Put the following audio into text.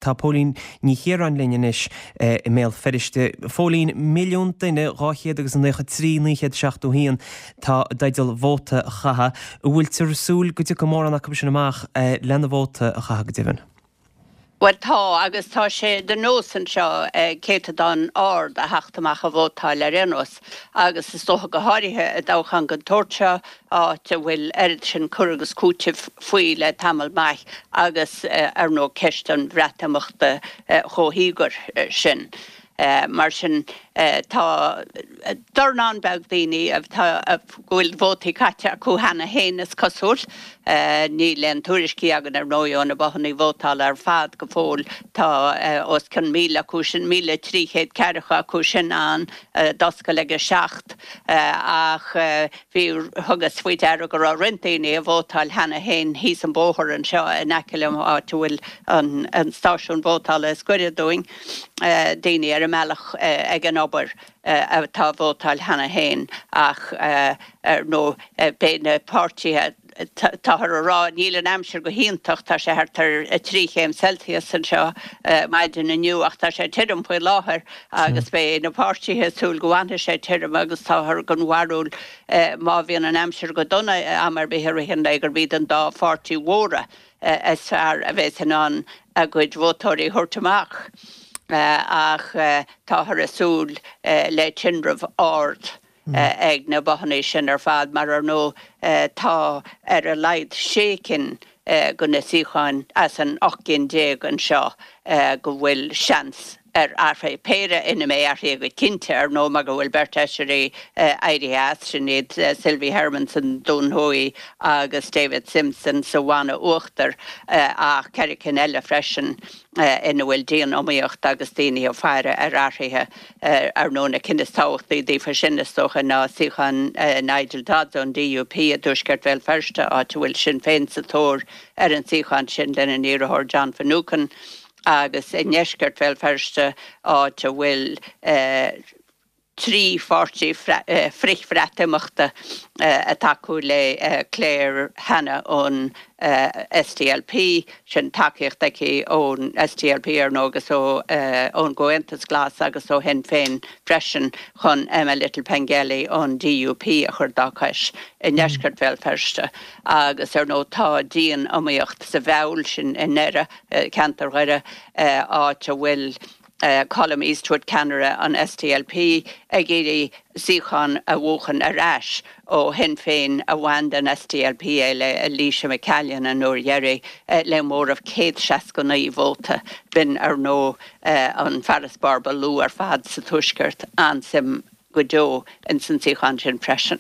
Tá Póilín Ní Chiaráin linn anois i mBéal Feirste. Phóilín, 1,000,000 duine, 200 agus 93, 971 atá i dteideal vóta a chaitheamh. An bhfuiltear ag súil go dtiocfaidh mórán acu sin amach lena vóta a chaitheamh go deimhin? Bhuel tá, agus tá sé de nós anseo céatadán ard a theacht amach a vótáil ar aon nós, agus is dócha go háirithe i dtoghchán den tsórt seo, áit a bhfuil oiread sin cur agus cúiteamh faoi le tamall maith agus ar ndóigh ceist an Bhreatimeachta chomh híogair sin. Mar sin tá dornán beag daoine atá, go bhfuil vótaí caite acu cheana féin is cosúil. Níl aon tuairiscí againn ar ndóigh ó na bothanna vótála ar fad go fóill. Tá os cionn 1,000 acu sin, 1,300 ceathracha acu sin ann, d'oscail ag a 7 ach bhí, thugas faoi deara go raibh roinnt daoine ag vótáil cheana féin thíos an bóthar anseo in aice liom, áit a bhfuil an stáisiún vótála is gaire dúinn, daoine ar a mbealach ag an obair atá ag vótáil cheana féin ach ar ndóigh beidh na páirtithe, táthar a rá, níl an aimsir go hiontach, tá sé thart ar 3 chéim Celsius anseo maidin inniu ach tá sé tirim faoi láthair agus beidh na páirtithe ag súil go bhfanfaidh sé tirim agus táthar den bharúil má bhíonn an aimsir go dona am ar bith i rith an lae gurb iad an dá pháirtí mhóra is fearr a bheas in ann a gcuid vótóirí a thabhairt amach ach táthar ag súil le tinreamh ard ag na bothanna sin ar fad mar ar ndóigh tá ar a laghad sé cinn de na suíocháin as an 18 gcinn anseo go bhfuil seans ar athruithe, péire ina mbeidh athruithe go cinnte, ar ndóigh, mar go bhfuil beirt fheisirí éirithe as, sin iad Sylvie Hermon sa Dún Thuaidh agus David Simpson sa Bhanna Uachtair, ach ceithre cinn eile freisin ina bhfuil dian-iomaíocht agus daoine ag faire ar athruithe. Ar ndóigh, na cinn is tábhachtaí daofa sin, is dócha, ná suíochán Nigel Dodds ón DUP i dtuaisceart Bhéal Feirste, áit a bhfuil Sinn Féin sa tóir ar an suíochán sin lena n-iarrthóir John Finucane, agus i ndeisceart Bhéal Feirste, áit a bhfuil 3 pháirtí frith-Bhreatimeachta ag tacú le Claire Hanna ón SDLP, sin tacaíocht aici ón SDLP ar ndóigh agus ón gComhaontas Glas agus ó Shinn Féin freisin chun Emma Little-Pengelly ón DUP a chur dá cois i ndeisceart Bhéal Feirste. Agus ar ndóigh tá dian-iomaíocht sa Mheall, sin i nDoire, ceantar Dhoire, áit a bhfuil Colum Eastwood, ceannaire an SDLP, ag iarraidh suíochán a bhuachan ar ais ó Shinn Féin a bhain den SDLP é le Elisha McCallion an uair dheiridh le móramh 169 vóta. B'in, ar ndóigh, an farasbarr ba lú ar fad sa Tuaisceart. An-suim go deo ins an suíochán sin freisin.